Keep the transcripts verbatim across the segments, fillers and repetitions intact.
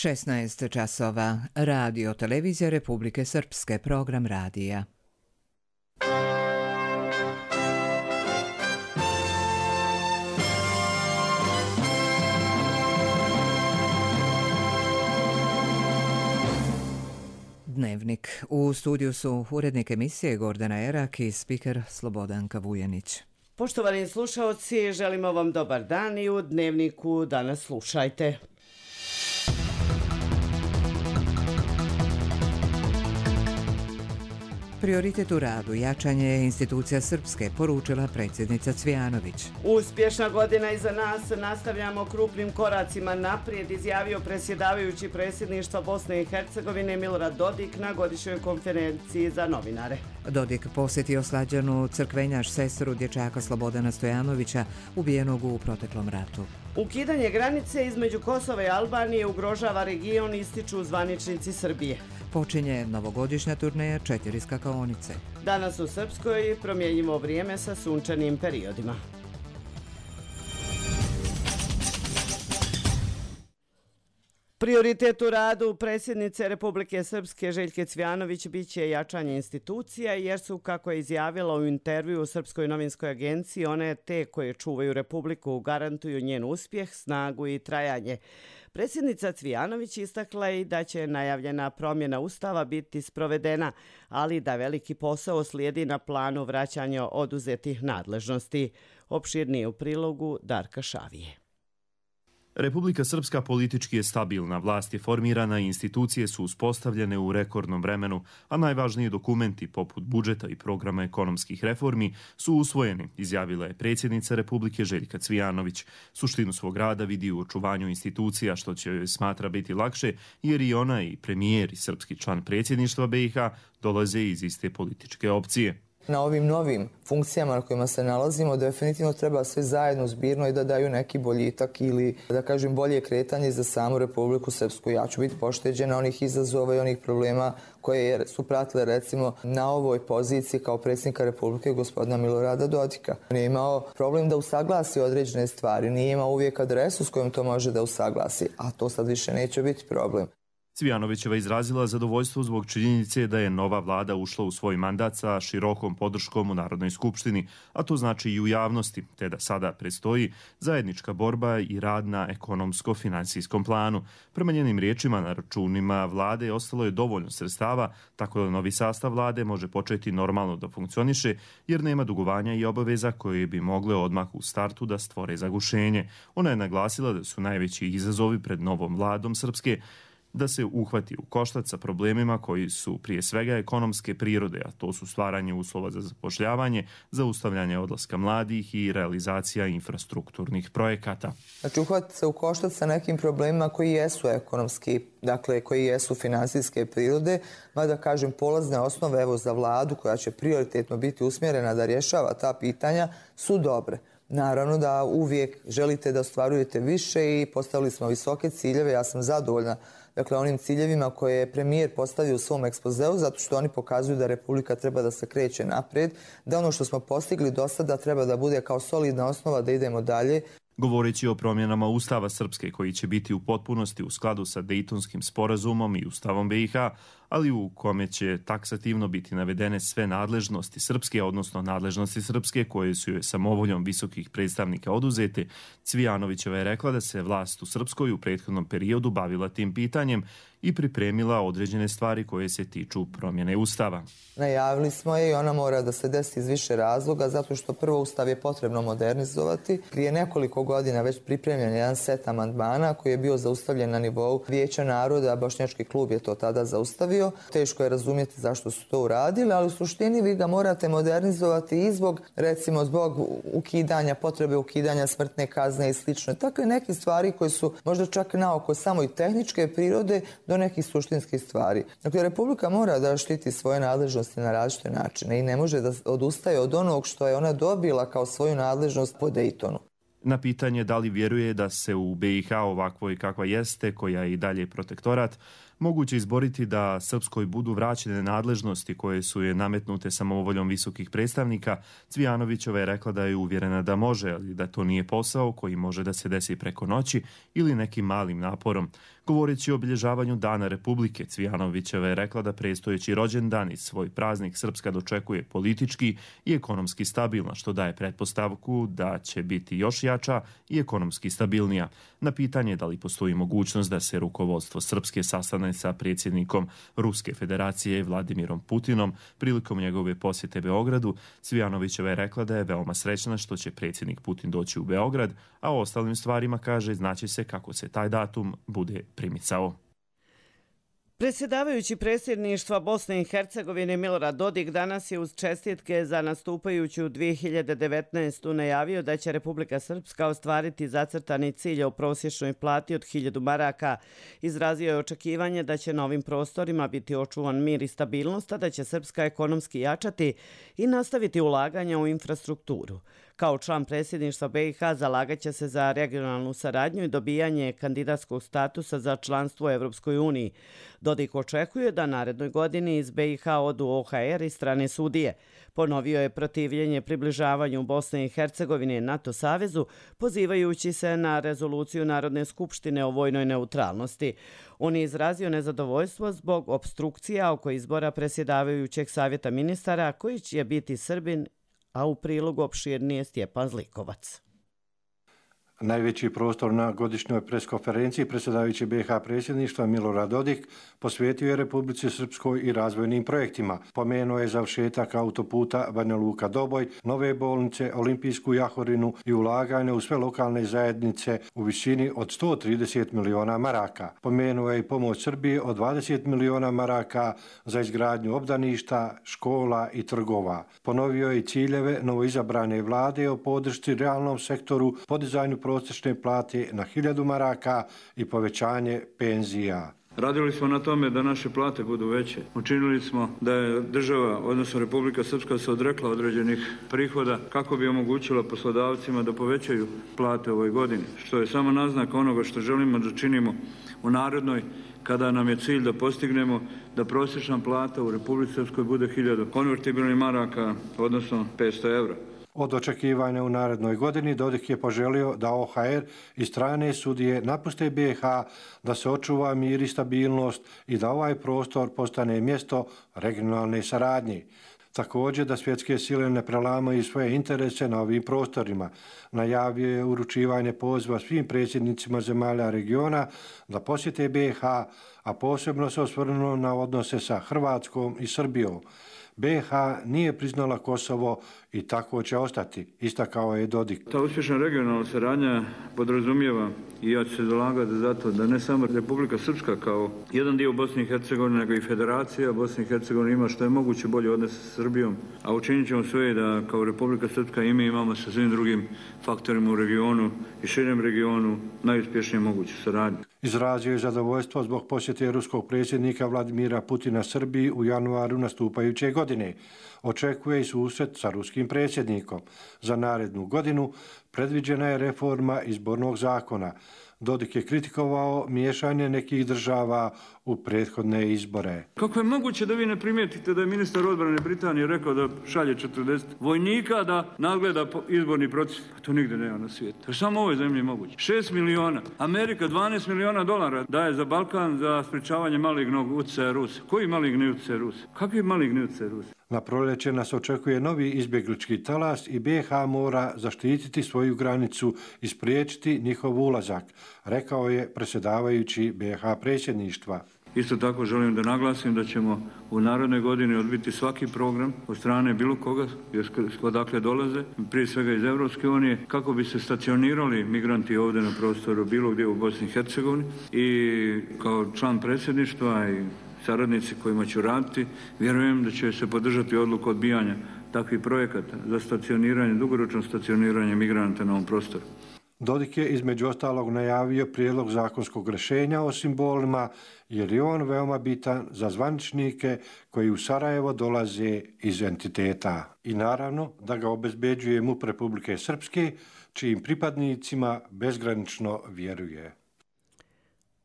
šesnaest časova. Radio Televizija Republike Srpske, program radija. Dnevnik. U studiju su urednik emisije Gordana Erak i spiker Slobodanka Vujanić. Poštovani slušaoci, želimo vam dobar dan i u Dnevniku danas slušajte. Prioritet u radu, jačanje institucija Srpske, poručila predsjednica Cvijanović. Uspješna godina iza nas, nastavljamo krupnim koracima naprijed, izjavio predsjedavajući predsjedništva Bosne i Hercegovine Milorad Dodik na godišnjoj konferenciji za novinare. Dodik posjetio Slađanu Crkvenjaš, sestru dječaka Slobodana Stojanovića, ubijenog u proteklom ratu. Ukidanje granice između Kosova i Albanije ugrožava region, ističu zvaničnici Srbije. Počinje novogodišnja turneja četiri skakaonice. Danas u Srpskoj promjenjivo vrijeme sa sunčanim periodima. Prioritet u radu predsjednice Republike Srpske Željke Cvijanović biće jačanje institucija, jer su, kako je izjavila u intervju u Srpskoj novinskoj agenciji, one te koje čuvaju Republiku, garantuju njen uspjeh, snagu i trajanje. Predsjednica Cvijanović istakla i da će najavljena promjena Ustava biti sprovedena, ali da veliki posao slijedi na planu vraćanja oduzetih nadležnosti. Opširnije u prilogu Darka Šavije. Republika Srpska politički je stabilna, vlast je formirana i institucije su uspostavljene u rekordnom vremenu, a najvažniji dokumenti poput budžeta i programa ekonomskih reformi su usvojeni, izjavila je predsjednica Republike Željka Cvijanović. Suštinu svog rada vidi u očuvanju institucija, što će joj smatra biti lakše, jer i ona i premijer i srpski član predsjedništva B i H dolaze iz iste političke opcije. Na ovim novim funkcijama na kojima se nalazimo definitivno treba sve zajedno zbirno i da daju neki boljitak ili da kažem bolje kretanje za samu Republiku Srpsku. Ja ću biti pošteđena onih izazova i onih problema koje su pratile recimo na ovoj poziciji kao predsjednika Republike gospodina Milorada Dodika. Nije imao problem da usaglasi određene stvari, nije imao uvijek adresu s kojom to može da usaglasi, a to sad više neće biti problem. Cvijanovićeva izrazila zadovoljstvo zbog činjenice da je nova vlada ušla u svoj mandat sa širokom podrškom u Narodnoj skupštini, a to znači i u javnosti, te da sada predstoji zajednička borba i rad na ekonomsko-finansijskom planu. Prema njenim riječima, na računima vlade ostalo je dovoljno sredstava, tako da novi sastav vlade može početi normalno da funkcioniše, jer nema dugovanja i obaveza koje bi mogle odmah u startu da stvore zagušenje. Ona je naglasila da su najveći izazovi pred novom vladom Srpske da se uhvati u koštac sa problemima koji su prije svega ekonomske prirode, a to su stvaranje uslova za zapošljavanje, zaustavljanje odlaska mladih i realizacija infrastrukturnih projekata. Znači uhvati se u koštac sa nekim problemima koji jesu ekonomski, dakle koji jesu finansijske prirode, mada kažem polazne osnove evo za vladu koja će prioritetno biti usmjerena da rješava ta pitanja su dobre. Naravno da uvijek želite da ostvarujete više i postavili smo visoke ciljeve, ja sam zadovoljna dakle onim ciljevima koje je premijer postavio u svom ekspozeu, zato što oni pokazuju da Republika treba da se kreće naprijed, da ono što smo postigli do sada treba da bude kao solidna osnova da idemo dalje. Govoreći o promjenama Ustava Srpske koji će biti u potpunosti u skladu sa Dejtonskim sporazumom i Ustavom B i H, ali u kome će taksativno biti navedene sve nadležnosti Srpske, odnosno nadležnosti Srpske koje su joj samovoljom visokih predstavnika oduzete, Cvijanovićeva je rekla da se vlast u Srpskoj u prethodnom periodu bavila tim pitanjem i pripremila određene stvari koje se tiču promjene Ustava. Najavili smo je i ona mora da se desi iz više razloga, zato što prvo Ustav je potrebno modernizovati. Prije nekoliko godina već pripremljen jedan set amandmana koji je bio zaustavljen na nivou Vijeća naroda, Bošnjački klub je to tada zaustavio. Teško je razumjeti zašto su to uradili, ali u suštini vi ga morate modernizovati i zbog, recimo, zbog ukidanja, potrebe ukidanja smrtne kazne i slično. Takve neke stvari koje su možda čak naoko samo i tehničke prirode do nekih suštinskih stvari. Dakle, Republika mora da štiti svoje nadležnosti na različite načine i ne može da odustaje od onog što je ona dobila kao svoju nadležnost po Dejtonu. Na pitanje da li vjeruje da se u B i H ovakvoj kakva jeste, koja je i dalje protektorat, moguće izboriti da Srpskoj budu vraćene nadležnosti koje su je nametnute samovoljom visokih predstavnika, Cvijanovićeva je rekla da je uvjerena da može, ali da to nije posao koji može da se desi preko noći ili nekim malim naporom. Govoreći o obilježavanju Dana Republike, Cvijanovićeva je rekla da predstojeći rođendan i svoj praznik Srpska dočekuje politički i ekonomski stabilno, što daje pretpostavku da će biti još jača i ekonomski stabilnija. Na pitanje da li postoji mogućnost da se rukovodstvo Srpske sastane sa predsjednikom Ruske federacije Vladimirom Putinom prilikom njegove posjete Beogradu, Cvijanovićeva je rekla da je veoma srećna što će predsjednik Putin doći u Beograd, a o ostalim stvarima kaže znaće se kako se taj datum bude primicao. Predsjedavajući predsjedništva Bosne i Hercegovine Milorad Dodik danas je uz čestitke za nastupajuću dvije hiljade devetnaestu najavio da će Republika Srpska ostvariti zacrtani cilj o prosječnoj plati od hiljadu maraka. Izrazio je očekivanje da će na ovim prostorima biti očuvan mir i stabilnost, a da će Srpska ekonomski jačati i nastaviti ulaganja u infrastrukturu. Kao član predsjedništva B i H zalagaće se za regionalnu saradnju i dobijanje kandidatskog statusa za članstvo u Evropskoj uniji. Dodik očekuje da narednoj godini iz B i H odu O H R i strane sudije. Ponovio je protivljenje približavanju Bosne i Hercegovine NATO savezu, pozivajući se na rezoluciju Narodne skupštine o vojnoj neutralnosti. On je izrazio nezadovoljstvo zbog opstrukcija oko izbora predsjedavajućeg savjeta ministara, koji će biti Srbin, a u prilogu opširnije Stjepan Zlikovac. Najveći prostor na godišnjoj preskonferenciji predsjedavajući B i H predsjedništva Milorad Dodik posvetio je Republici Srpskoj i razvojnim projektima. Pomenuo je završetak autoputa Banja Luka-Doboj, nove bolnice, olimpijsku jahorinu i ulaganje u sve lokalne zajednice u visini od sto trideset miliona maraka. Pomenuo je i pomoć Srbije od dvadeset miliona maraka za izgradnju obdaništa, škola i trgova. Ponovio je i ciljeve novoizabrane vlade o podršci realnom sektoru, podizanju prosječne plate na hiljadu maraka i povećanje penzija. Radili smo na tome da naše plate budu veće. Učinili smo da je država, odnosno Republika Srpska, se odrekla određenih prihoda kako bi omogućila poslodavcima da povećaju plate u ovoj godini, što je samo naznak onoga što želimo da činimo u narednoj, kada nam je cilj da postignemo da prosječna plata u Republici Srpskoj bude hiljadu konvertibilnih maraka, odnosno petsto evra. Od očekivanja u narednoj godini Dodik je poželio da O H R i strane sudije napuste B i H, da se očuva mir i stabilnost i da ovaj prostor postane mjesto regionalne saradnje. Također da svjetske sile ne prelamaju svoje interese na ovim prostorima. Najavio je uručivanje poziva svim predsjednicima zemalja regiona da posjete B i H, a posebno se osvrnuo na odnose sa Hrvatskom i Srbijom. B i H nije priznala Kosovo i tako će ostati, istakao je Dodik. Ta uspješna regionalna saradnja podrazumijeva, i ja ću se zalagati za to, da ne samo Republika Srpska kao jedan dio Bosne i Hercegovine, nego i Federacija Bosne i Hercegovine ima što je moguće bolje odnose sa Srbijom, a učinit ćemo sve da kao Republika Srpska i mi imamo sa svim drugim faktorima u regionu i širem regionu najuspješnije moguću saradnju. Izrazio je zadovoljstvo zbog posjete ruskog predsjednika Vladimira Putina Srbiji u januaru nastupajuće godine. Očekuje i susret sa ruskim predsjednikom. Za narednu godinu predviđena je reforma izbornog zakona. Dodik je kritikovao miješanje nekih država u prethodne izbore. Kako je moguće da vi ne primijetite da je ministar odbrane Britanije rekao da šalje četrdeset vojnika da nadgleda izborni proces? To nigde nema na svijetu. To je samo u ovoj zemlji moguće. šest miliona. Amerika dvanaest miliona dolara daje za Balkan za sprečavanje malignog utjecaja Rusa. Koji maligni utjecaj Rusa? Kakvi maligni utjecaj Rusa? Na proljeće nas očekuje novi izbjeglički talas i B i H mora zaštititi svoju granicu i spriječiti njihov ulazak, rekao je predsjedavajući B i H predsjedništva. Isto tako želim da naglasim da ćemo u narednoj godini odbiti svaki program od strane bilo koga, odakle dolaze, prije svega iz Evropske unije, kako bi se stacionirali migranti ovdje na prostoru bilo gdje u Bosni i Hercegovini. I kao član predsjedništva i saradnici kojima ću raditi, vjerujem da će se podržati odluku odbijanja takvih projekata za stacioniranje, dugoročno stacioniranje migranata na ovom prostoru. Dodik je između ostalog najavio prijedlog zakonskog rješenja o simbolima, jer je on veoma bitan za zvaničnike koji u Sarajevo dolaze iz entiteta. I naravno da ga obezbeđuje MUP Republike Srpske, čijim pripadnicima bezgranično vjeruje.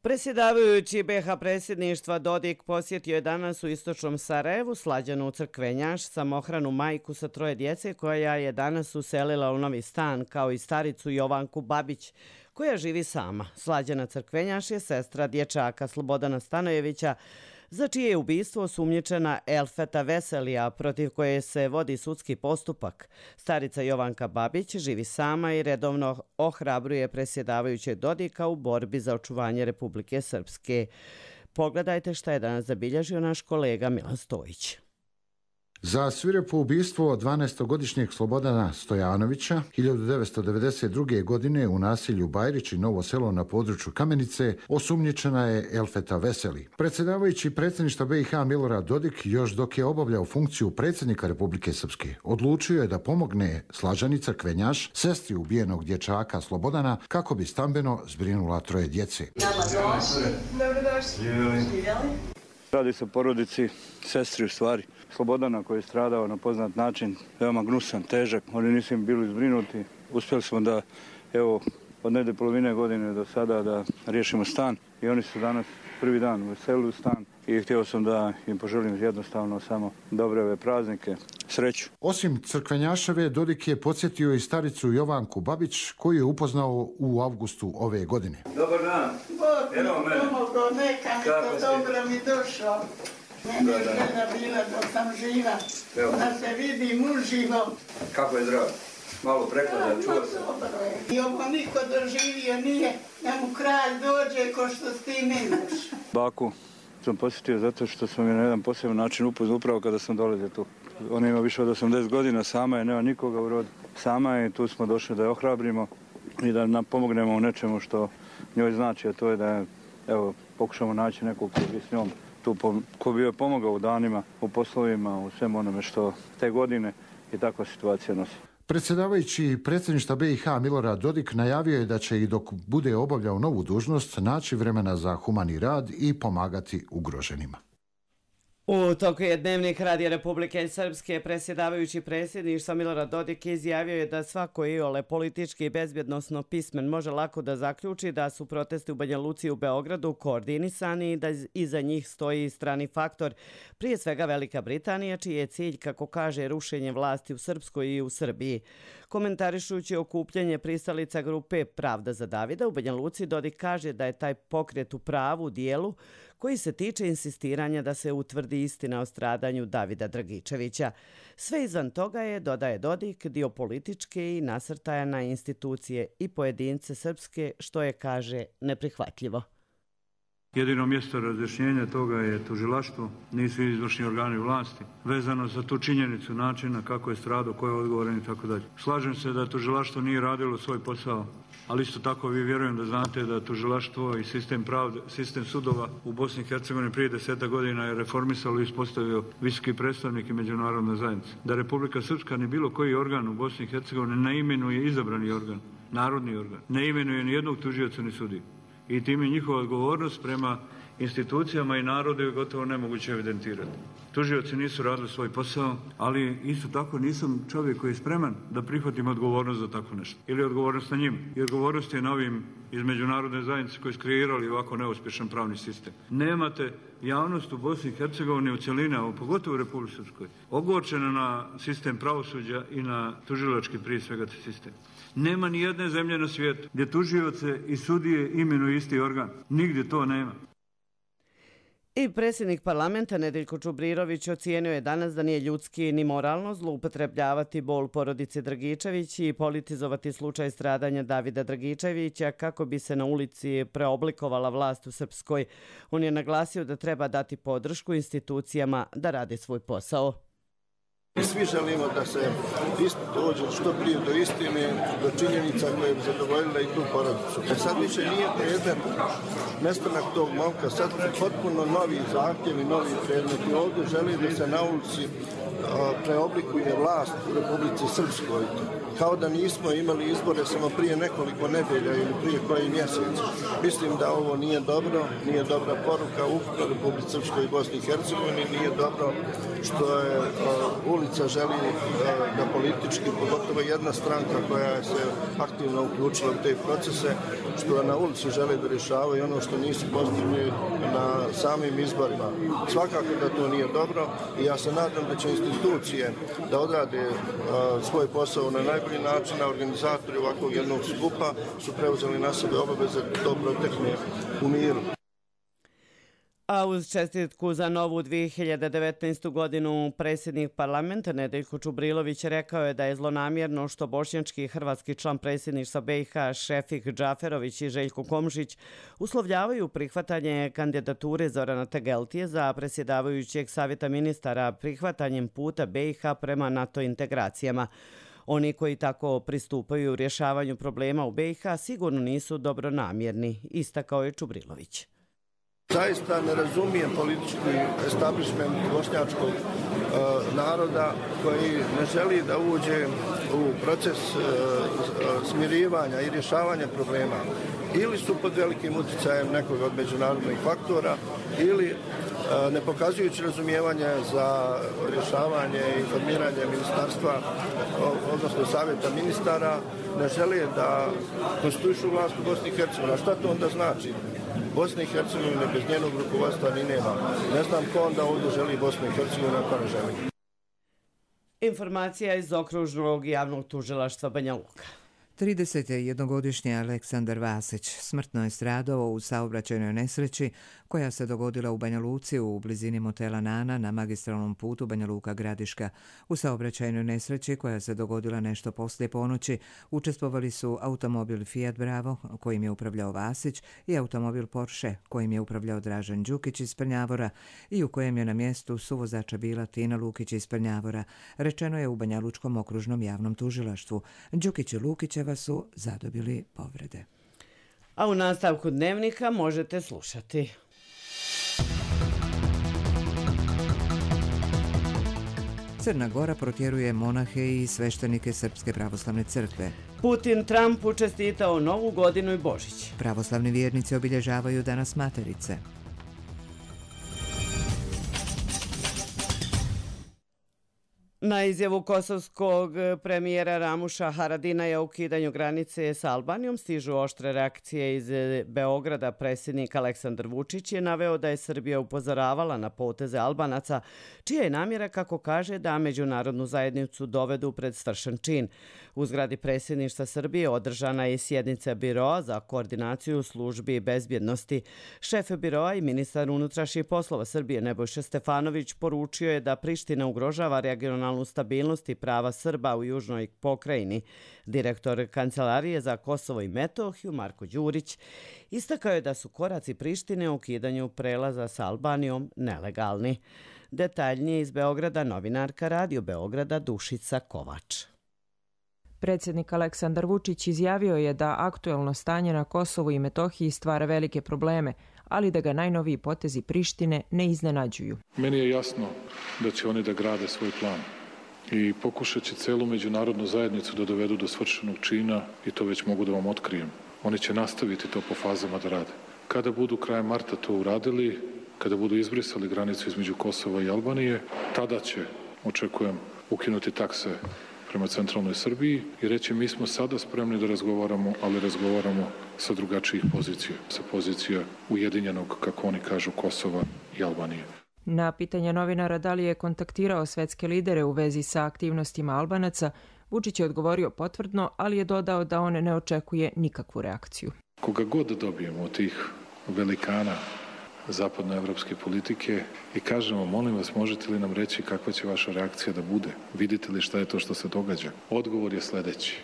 Predsjedavajući B H predsjedništva Dodik posjetio je danas u istočnom Sarajevu Slađanu Crkvenjaš, samohranu majku sa troje djece koja je danas uselila u novi stan, kao i staricu Jovanku Babić, koja živi sama. Slađana Crkvenjaš je sestra dječaka Slobodana Stanojevića, za čije je ubistvo osumnjičena Elfeta Veselija, protiv koje se vodi sudski postupak. Starica Jovanka Babić živi sama i redovno ohrabruje predsjedavajućeg Dodika u borbi za očuvanje Republike Srpske. Pogledajte šta je danas zabilježio naš kolega Milan Stojić. Za svirepo ubistvo dvanaestogodišnjeg Slobodana Stojanovića hiljadu devetsto devedeset druge. godine u naselju Bajrić i Novo Selo na području Kamenice osumnjičena je Elfeta Veseli. Predsjedavajući predsjedništva B i H Milorad Dodik, još dok je obavljao funkciju predsjednika Republike Srpske, odlučio je da pomogne Slađani Crkvenjaš, sestri ubijenog dječaka Slobodana, kako bi stambeno zbrinula troje djece. Radi se o porodici sestri u stvari Slobodana koji je stradao na poznat način, veoma gnusan, težak. Oni nisu im bili zbrinuti. Uspjeli smo da, evo, od negdje polovine godine do sada da riješimo stan i oni su danas prvi dan uselili u stan i htio sam da im poželim jednostavno samo dobre ove praznike, sreću. Osim Crkvenjaševe, Dodik je podsjetio i staricu Jovanku Babić, koju je upoznao u avgustu ove godine. Dobar dan. Bog mi pomogao, neka mi to dobro mi došao. Mene je žena bila dok sam živa, da se vidim uživo. Kako je zdrav? Malo preklada, čuo sam. I ovo niko doživio nije, da mu kralj dođe ko što s ti nemaš. Baku sam posjetio zato što sam je na jedan poseban način upoznao upravo kada sam dolazio tu. Ona ima više od osamdeset godina, sama je, nema nikoga u rodu. Sama je, tu smo došli da je ohrabrimo i da nam pomognemo u nečemu što njoj znači, a to je da evo, pokušamo naći nekog koji bi s njom tu, ko bi joj pomogao u danima, u poslovima, u svemu onome što te godine i takva situacija nosi. Predsjedavajući predsjedništva B i H Milorad Dodik najavio je da će i dok bude obavljao novu dužnost naći vremena za humani rad i pomagati ugroženima. U toku je Dnevnik Radija Republike Srpske predsjedavajući predsjedništva Milorad Dodik izjavio je da svako iole politički i bezbjednosno pismen može lako da zaključi da su protesti u Banja Luci i u Beogradu koordinisani i da iza njih stoji strani faktor, prije svega Velika Britanija, čiji je cilj, kako kaže, rušenje vlasti u Srpskoj i u Srbiji. Komentarišući okupljanje pristalica grupe Pravda za Davida u Banja Luci, Dodik kaže da je taj pokret u pravu dijelu koji se tiče insistiranja da se utvrdi istina o stradanju Davida Dragičevića. Sve izvan toga je, dodaje Dodik, dio političke i nasrtaja na institucije i pojedince srpske, što je, kaže, neprihvatljivo. Jedino mjesto razjašnjenja toga je tužilaštvo, nisu izvršni organi vlasti, vezano za tu činjenicu načina kako je stradao, ko je odgovoran i tako dalje. Slažem se da tužilaštvo nije radilo svoj posao, ali isto tako vi vjerujem da znate da tužilaštvo i sistem pravde, sistem sudova u Bosni i Hercegovini prije deseta godina je reformisalo i ispostavio visoki predstavnik i međunarodna zajednica. Da Republika Srpska ni bilo koji organ u Bosni i Hercegovini ne imenuje izabrani organ, narodni organ, ne imenuje ni jednog tužioca ni sudiju. I tim je njihova odgovornost prema institucijama i narodu je gotovo nemoguće evidentirati. Tužioci nisu radili svoj posao, ali isto tako nisam čovjek koji je spreman da prihvatim odgovornost za tako nešto. Ili odgovornost na njim. I odgovornost je na ovim iz međunarodne zajednice koji su kreirali ovako neuspješan pravni sistem. Nemate javnost u Bosni i Hercegovini u cjelini, a pogotovo u Republici Srpskoj, ogorčena na sistem pravosuđa i na tužilački prije svega sistem. Nema ni jedne zemlje na svijetu gdje tužioce i sudije imenuju isti organ. Nigdje to nema. I predsjednik parlamenta Nedeljko Čubrirović ocijenio je danas da nije ljudski ni moralno zloupotrebljavati bol porodice Dragičević i politizovati slučaj stradanja Davida Dragičevića kako bi se na ulici preoblikovala vlast u Srpskoj. On je naglasio da treba dati podršku institucijama da rade svoj posao. Svi želimo da se dođe što prije do istine, do činjenica koje bi zadovoljile i tu porodicu. E sad više nije predmet nestanak tog momka, sad su potpuno novi zahtjevi, novi predmeti. Ovdje želi da se na ulici preoblikuje vlast u Republici Srpskoj. kao da nismo imali izbore samo prije nekoliko nedelja ili prije koji mjesec. Mislim da ovo nije dobro, nije dobra poruka ukupno Republici Srpskoj i Bosni i Hercegovini, nije dobro što je uh, ulica želi uh, da politički, pogotovo jedna stranka koja se aktivno uključila u te procese, što na ulici žele da rješavaju ono što nisu postigli na samim izborima. Svakako da to nije dobro i ja se nadam da će institucije da odrade uh, svoj posao na najbolji način, a organizatori ovakvog jednog skupa su preuzeli na sebe obaveze da to protekne u miru. A uz čestitku za novu dvije hiljade devetnaestu. godinu predsjednik parlamenta Nedeljko Čubrilović rekao je da je zlonamjerno što bošnjački i hrvatski član predsjedništva B i H Šefik Džaferović i Željko Komšić uslovljavaju prihvatanje kandidature Zorana Tegeltije za predsjedavajućeg savjeta ministara prihvatanjem puta B i H prema NATO integracijama. Oni koji tako pristupaju rješavanju problema u B i H sigurno nisu dobronamjerni, istakao je Čubrilović. Zaista ne razumijem politički establishment bošnjačkog e, naroda koji ne želi da uđe u proces e, smirivanja i rješavanja problema. Ili su pod velikim utjecajem nekog od međunarodnih faktora ili e, ne pokazujući razumijevanje za rješavanje i formiranje ministarstva, odnosno savjeta ministara, ne žele da konstituišu vlast u Bosni i Hercegovini. A šta to onda znači? Bosne i Hercegovine bez njenog rukovodstva ni nema. Ne znam ko onda ovdje želi Bosnu i Hercegovinu, ako ne želi. Informacija iz okružnog javnog tužilaštva Banja Luka. tridesetjednogodišnji Aleksandar Vasić smrtno je stradao u saobraćajnoj nesreći koja se dogodila u Banja Luci u blizini motela Nana na magistralnom putu Banja Luka-Gradiška. U saobraćajnoj nesreći koja se dogodila nešto poslije ponoći učestvovali su automobil Fiat Bravo kojim je upravljao Vasić i automobil Porsche kojim je upravljao Dražen Đukić iz Prnjavora i u kojem je na mjestu suvozača bila Tina Lukić iz Prnjavora, rečeno je u Banja Lučkom okružnom javnom tužilaštvu. Đukić i Lukićeva su zadobili povrede. A u nastavku dnevnika možete slušati. Crna Gora protjeruje monahe i sveštenike Srpske pravoslavne crkve. Putin Trumpu čestitao Novu godinu i Božić. Pravoslavni vjernici obilježavaju Danas Materice. Na izjavu kosovskog premijera Ramuša Haradinaja o ukidanju granice sa Albanijom stižu oštre reakcije iz Beograda. Predsjednik Aleksandar Vučić je naveo da je Srbija upozoravala na poteze Albanaca, čija je namjera, kako kaže, da međunarodnu zajednicu dovedu pred svršen čin. U zgradi predsjedništva Srbije održana je sjednica Biroa za koordinaciju službi bezbjednosti. Šef Biroa i ministar unutrašnjih poslova Srbije Nebojša Stefanović poručio je da Priština ugrožava regionalnu stabilnost i prava Srba u južnoj pokrajini. Direktor Kancelarije za Kosovo i Metohiju Marko Đurić istakao je da su koraci Prištine u ukidanju prelaza sa Albanijom nelegalni. Detaljnije iz Beograda novinarka Radio Beograda Dušica Kovač. Predsjednik Aleksandar Vučić izjavio je da aktuelno stanje na Kosovu i Metohiji stvara velike probleme, ali da ga najnoviji potezi Prištine ne iznenađuju. Meni je jasno da će oni da grade svoj plan i pokušat će celu međunarodnu zajednicu da dovedu do svršenog čina i to već mogu da vam otkrijem. Oni će nastaviti to po fazama da rade. Kada budu krajem marta to uradili, kada budu izbrisali granicu između Kosova i Albanije, tada će, očekujem, ukinuti takse prema centralnoj Srbiji i reći mi smo sada spremni da razgovaramo, ali razgovaramo sa drugačijih pozicija, sa pozicija ujedinjenog, kako oni kažu, Kosova i Albanije. Na pitanje novinara da li je kontaktirao svetske lidere u vezi sa aktivnostima Albanaca, Vučić je odgovorio potvrdno, ali je dodao da on ne očekuje nikakvu reakciju. Koga god dobijemo od tih velikana zapadnoevropske politike i kažemo, molim vas, možete li nam reći kakva će vaša reakcija da bude? Vidite li šta je to što se događa? Odgovor je sljedeći.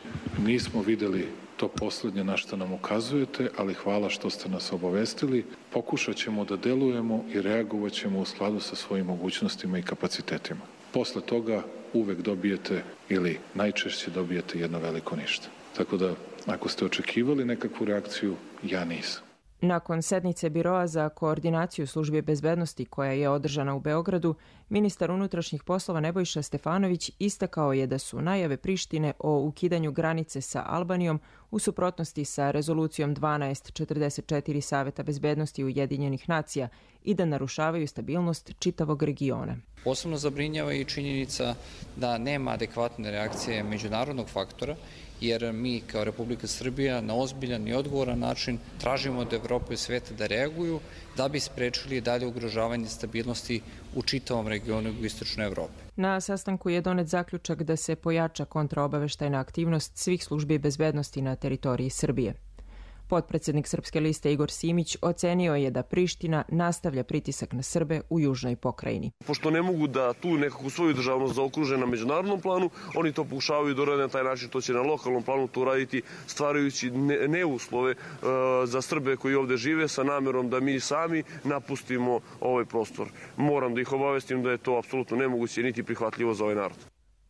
Nismo vidjeli to posljednje na što nam ukazujete, ali hvala što ste nas obavestili. Pokušat ćemo da delujemo i reagovat ćemo u skladu sa svojim mogućnostima i kapacitetima. Posle toga uvek dobijete ili najčešće dobijete jedno veliko ništa. Tako da, ako ste očekivali nekakvu reakciju, ja nisam. Nakon sednice Biroa za koordinaciju službe bezbednosti koja je održana u Beogradu, ministar unutrašnjih poslova Nebojša Stefanović istakao je da su najave Prištine o ukidanju granice sa Albanijom u suprotnosti sa rezolucijom dvanaest četrdeset četiri Saveta bezbednosti Ujedinjenih nacija i da narušavaju stabilnost čitavog regiona. Posebno zabrinjava i činjenica da nema adekvatne reakcije međunarodnog faktora, jer mi kao Republika Srbija na ozbiljan i odgovoran način tražimo od Evrope i sveta da reaguju da bi sprečili dalje ugrožavanje stabilnosti u čitavom regionu jugoistočne Evrope. Na sastanku je donet zaključak da se pojača kontraobaveštajna aktivnost svih službi bezbednosti na teritoriji Srbije. Potpredsednik Srpske liste Igor Simić ocenio je da Priština nastavlja pritisak na Srbe u južnoj pokrajini. Pošto ne mogu da tu nekako svoju državnost zaokruže na međunarodnom planu, oni to pokušavaju da urade na taj način, to će na lokalnom planu to uraditi, stvarajući neuslove e, za Srbe koji ovde žive sa namerom da mi sami napustimo ovaj prostor. Moram da ih obavestim da je to apsolutno nemoguće niti prihvatljivo za ovaj narod.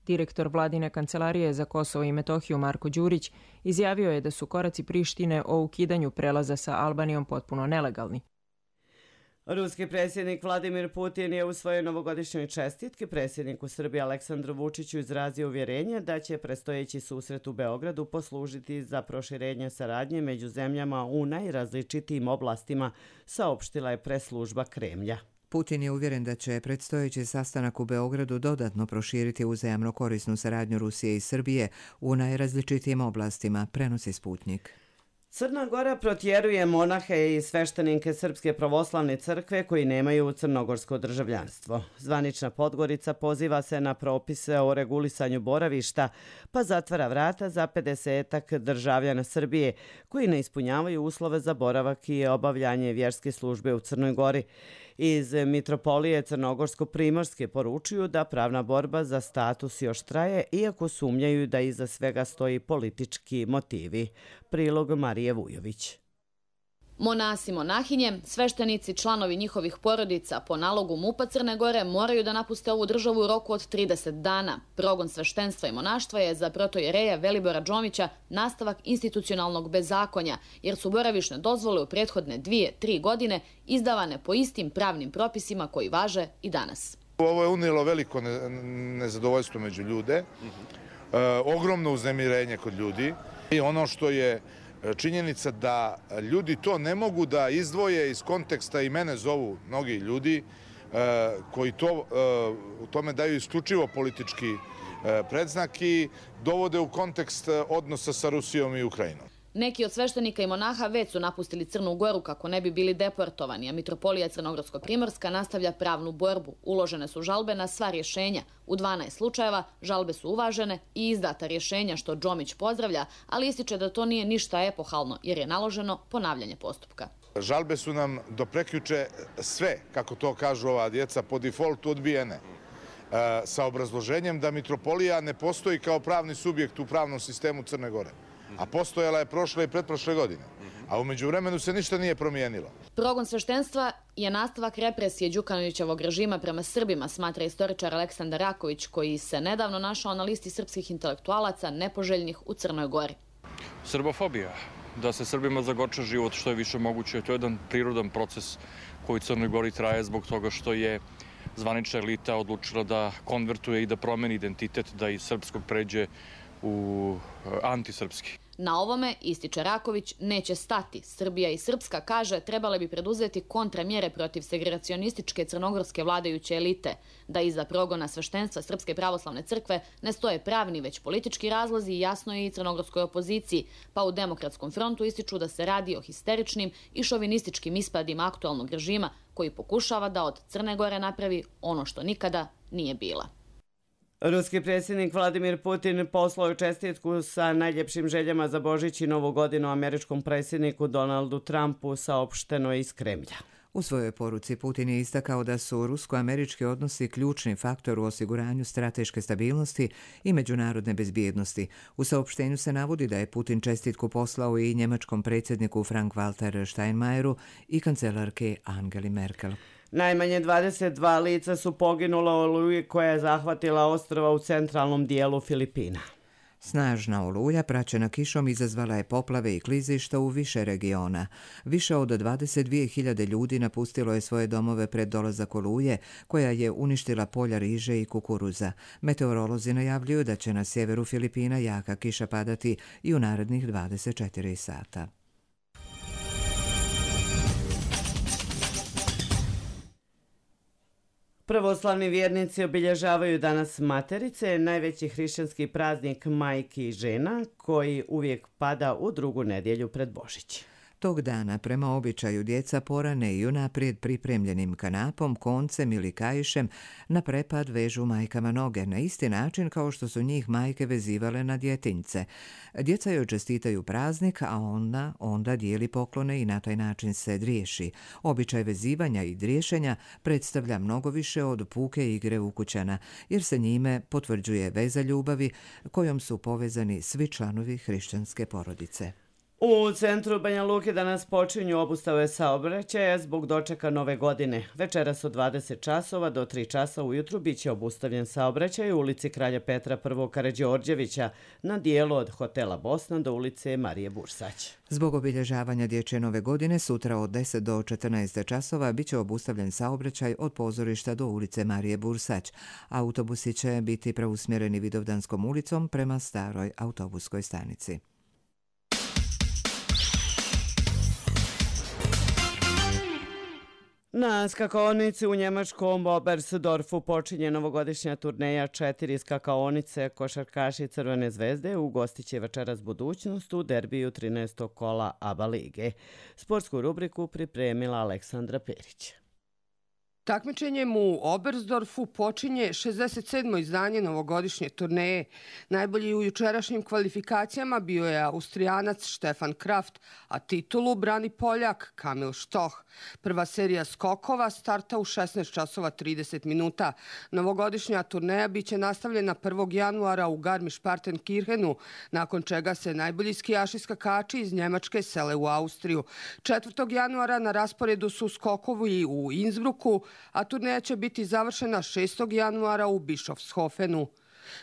Direktor Vladine kancelarije za Kosovo i Metohiju Marko Đurić izjavio je da su koraci Prištine o ukidanju prelaza sa Albanijom potpuno nelegalni. Ruski predsjednik Vladimir Putin je u svojoj novogodišnjoj čestitki predsjedniku Srbije Aleksandru Vučiću izrazio uvjerenje da će predstojeći susret u Beogradu poslužiti za proširenje saradnje među zemljama u najrazličitijim oblastima, saopštila je preslužba Kremlja. Putin je uvjeren da će predstojeći sastanak u Beogradu dodatno proširiti uzajamno korisnu saradnju Rusije i Srbije u najrazličitijim oblastima, prenosi Sputnik. Crna Gora protjeruje monahe i sveštenike Srpske pravoslavne crkve koji nemaju crnogorsko državljanstvo. Zvanična Podgorica poziva se na propise o regulisanju boravišta, pa zatvara vrata za pedesetak državljana Srbije koji ne ispunjavaju uslove za boravak i obavljanje vjerske službe u Crnoj Gori. Iz Mitropolije Crnogorsko-Primorske poručuju da pravna borba za status još traje, iako sumnjaju da iza svega stoji politički motivi. Prilog Marije Vujović. Monasi, monahinje, sveštenici, članovi njihovih porodica po nalogu MUP-a Crne Gore moraju da napuste ovu državu u roku od trideset dana. Progon sveštenstva i monaštva je za protojereja Velibora Džomića nastavak institucionalnog bezakonja, jer su boravišne dozvole u prethodne dvije, tri godine izdavane po istim pravnim propisima koji važe i danas. Ovo je unijelo veliko nezadovoljstvo među ljude, e, ogromno uznemirenje kod ljudi i ono što je činjenica da ljudi to ne mogu da izdvoje iz konteksta, i mene zovu mnogi ljudi koji to, u tome daju isključivo politički predznak i dovode u kontekst odnosa sa Rusijom i Ukrajinom. Neki od sveštenika i monaha već su napustili Crnu Goru kako ne bi bili deportovani, a Mitropolija Crnogorsko-Primorska nastavlja pravnu borbu. Uložene su žalbe na sva rješenja. U dvanaest slučajeva žalbe su uvažene i izdata rješenja, što Džomić pozdravlja, ali ističe da to nije ništa epohalno jer je naloženo ponavljanje postupka. Žalbe su nam do prekjuče sve, kako to kažu ova djeca, po defaultu odbijene, sa obrazloženjem da Mitropolija ne postoji kao pravni subjekt u pravnom sistemu Crne Gore. A postojala je prošle i pretprošle godine. A u međuvremenu se ništa nije promijenilo. Progon sveštenstva je nastavak represije Đukanovićevog režima prema Srbima, smatra istoričar Aleksandar Raković, koji se nedavno našao na listi srpskih intelektualaca nepoželjnih u Crnoj Gori. Srbofobija, da se Srbima zagoča život što je više moguće. To je jedan prirodan proces koji u Crnoj Gori traje zbog toga što je zvanična elita odlučila da konvertuje i da promeni identitet, da iz srpskog pređe u antisrpski. Na ovome, ističe Raković, neće stati. Srbija i Srpska, kaže, trebale bi preduzeti kontramjere protiv segregacionističke crnogorske vladajuće elite, da iza progona sveštenstva Srpske pravoslavne crkve ne stoje pravni već politički razlozi i jasno je i crnogorskoj opoziciji, pa u Demokratskom frontu ističu da se radi o histeričnim i šovinističkim ispadima aktualnog režima koji pokušava da od Crne Gore napravi ono što nikada nije bila. Ruski predsjednik Vladimir Putin poslao je čestitku sa najljepšim željama za Božić i Novu godinu američkom predsjedniku Donaldu Trumpu, saopšteno je iz Kremlja. U svojoj poruci Putin je istakao da su rusko-američki odnosi ključni faktor u osiguranju strateške stabilnosti i međunarodne bezbjednosti. U saopštenju se navodi da je Putin čestitku poslao i njemačkom predsjedniku Frank-Walter Steinmeieru i kancelarke Angeli Merkel. Najmanje dvadeset dva lica su poginula u oluji koja je zahvatila ostrva u centralnom dijelu Filipina. Snažna oluja praćena kišom izazvala je poplave i klizišta u više regiona. Više od dvadeset dvije hiljade ljudi napustilo je svoje domove pred dolazak oluje, koja je uništila polja riže i kukuruza. Meteorolozi najavljuju da će na sjeveru Filipina jaka kiša padati i u narednih dvadeset četiri sata. Pravoslavni vjernici obilježavaju danas Materice, najveći hrišćanski praznik majki i žena, koji uvijek pada u drugu nedjelju pred Božić. Tog dana, prema običaju, djeca porane i unaprijed pripremljenim kanapom, koncem ili kaišem na prepad vežu majkama noge, na isti način kao što su njih majke vezivale na djetinjce. Djeca joj čestitaju praznik, a ona onda dijeli poklone i na taj način se driješi. Običaj vezivanja i driješenja predstavlja mnogo više od puke igre ukućana, jer se njime potvrđuje veza ljubavi kojom su povezani svi članovi hrišćanske porodice. U centru Banja Luke danas počinju obustave saobraćaja zbog dočeka nove godine. Večeras od dvadeset časova do tri časa ujutru biće obustavljen saobraćaj u ulici Kralja Petra I. Karađorđevića na dijelu od hotela Bosna do ulice Marije Bursać. Zbog obilježavanja dječje nove godine sutra od deset do četrnaest časova biće obustavljen saobraćaj od pozorišta do ulice Marije Bursać. Autobusi će biti preusmjereni Vidovdanskom ulicom prema staroj autobuskoj stanici. Na skakaonici u njemačkom Oberstdorfu počinje novogodišnja turneja četiri skakaonice. Košarkaši Crvene zvezde ugostit će večeras budućnost u derbiju trinaestog kola A B A lige. Sportsku rubriku pripremila Aleksandra Perić. Takmičenjem u Oberstdorfu počinje šezdeset sedmo izdanje novogodišnje turneje. Najbolji u jučerašnjim kvalifikacijama bio je Austrijanac Stefan Kraft, a titulu brani Poljak Kamil Štoh. Prva serija skokova starta u šesnaest časova trideset minuta. Novogodišnja turneja biće nastavljena prvog januara u Garmisch-Partenkirchenu, nakon čega se najbolji skijaši skakači iz Njemačke sele u Austriju. četvrtog januara na rasporedu su skokovi u Innsbrucku, a turneja će biti završena šestog januara u Bischofshofenu.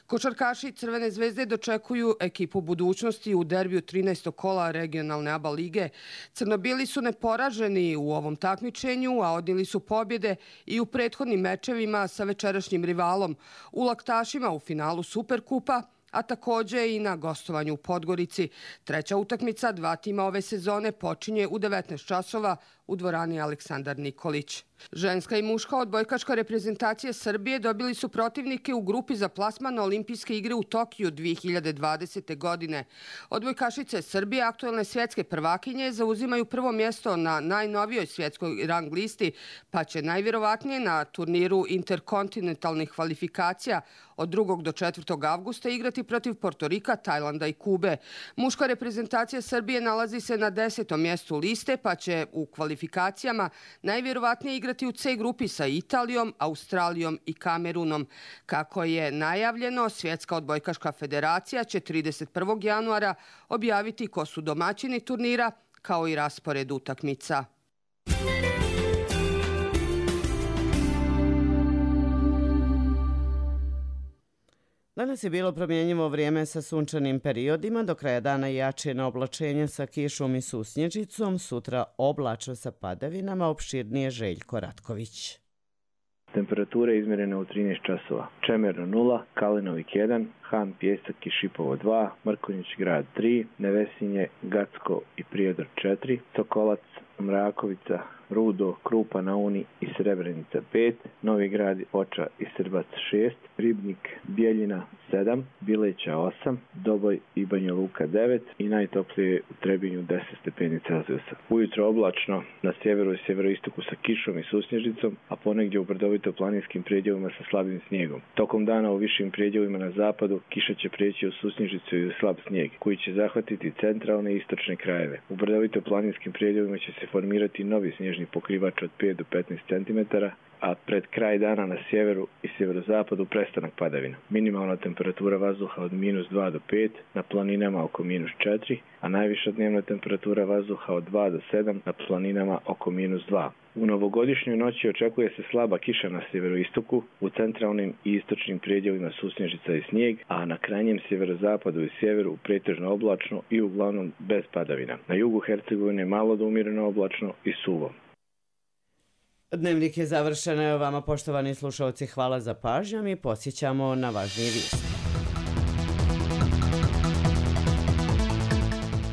Košarkaši Crvene zvezde dočekuju ekipu budućnosti u derbiju trinaestog kola regionalne A B A lige. Crnobili su neporaženi u ovom takmičenju, a odnijeli su pobjede i u prethodnim mečevima sa večerašnjim rivalom, u Laktašima u finalu Superkupa, a također i na gostovanju u Podgorici. Treća utakmica dva tima ove sezone počinje u devetnaest časova u dvorani Aleksandar Nikolić. Ženska i muška odbojkaška reprezentacija Srbije dobili su protivnike u grupi za plasman na Olimpijske igre u Tokiju dvije hiljade dvadesete. godine. Odbojkašice Srbije, aktuelne svjetske prvakinje, zauzimaju prvo mjesto na najnovijoj svjetskoj rang listi, pa će najvjerovatnije na turniru interkontinentalnih kvalifikacija od drugog do četvrtog avgusta igrati protiv Portorika, Tajlanda i Kube. Muška reprezentacija Srbije nalazi se na desetom mjestu liste, pa će u kvalifikacijama najvjerovatnije igrati u C grupi sa Italijom, Australijom i Kamerunom. Kako je najavljeno, Svjetska odbojkaška federacija će trideset prvog januara objaviti ko su domaćini turnira, kao i raspored utakmica. Danas je bilo promjenjivo vrijeme sa sunčanim periodima, do kraja dana jačina oblačenja sa kišom i susnježicom, sutra oblačno sa padavinama, opširnije Željko Ratković. Temperature izmjerene u trinaest časova. Čemerno nula, Kalinovik jedan, Han, Pjesak i Šipovo dva, Mrkonjić grad tri, Nevesinje, Gacko i Prijedor četiri, Sokolac, Mrakovica, Rudo, Krupa na Uni i Srebrenica pet, Novi grad, Oča i Srbac šest, Ribnik, Bijeljina sedam, Bileća osam, Doboj i Banja Luka devet i najtoplije u Trebinju deset stepeni Celzijusa. Ujutro oblačno, na sjeveru i sjeveroistoku sa kišom i susnježicom, a ponegdje u brdovito planinskim predjelima sa slabim snijegom. Tokom dana u višim predjelima na zapadu kiša će prijeći u susnježicu i u slab snijeg, koji će zahvatiti centralne i istočne krajeve. U brdovito planinskim predjelima će se formirati novi snježni pokrivač od pet do petnaest centimetara, a pred kraj dana na sjeveru i sjeverozapadu prestanak padavina. Minimalna temperatura vazduha od minus dva do pet, na planinama oko minus četiri, a najviša dnevna temperatura vazduha od dva do sedam, na planinama oko minus dva. U novogodišnjoj noći očekuje se slaba kiša na sjeveroistoku, u centralnim i istočnim predjelima susnježica i snijeg, a na krajnjem sjeverozapadu i sjeveru pretežno oblačno i uglavnom bez padavina. Na jugu Hercegovine malo do umjereno oblačno i suvo. Dnevnik je završen. Evo vama, poštovani slušalci, hvala za pažnju. Mi podsjećamo na važnije vijesti.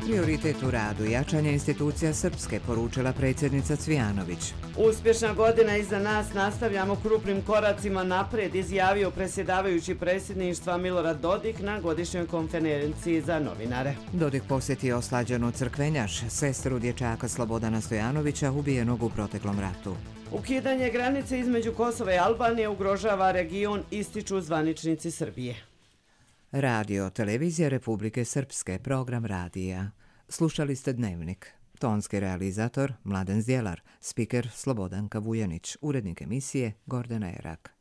Prioritet u radu jačanje institucija Srpske, poručila predsjednica Cvijanović. Uspješna godina iza nas, nastavljamo krupnim koracima naprijed, izjavio predsjedavajući predsjedništva Milorad Dodik na godišnjoj konferenciji za novinare. Dodik posjetio oslađenu crkvenjaš, sestru dječaka Slobodana Stojanovića, ubijenog u proteklom ratu. Ukidanje granice između Kosova i Albanije ugrožava region, ističu zvaničnici Srbije. Radio, televizija Republike Srpske, program radija. Slušali ste Dnevnik. Tonski realizator Mladen Zdjelar, spiker Slobodanka Vujanić, urednik emisije Gordana Erak.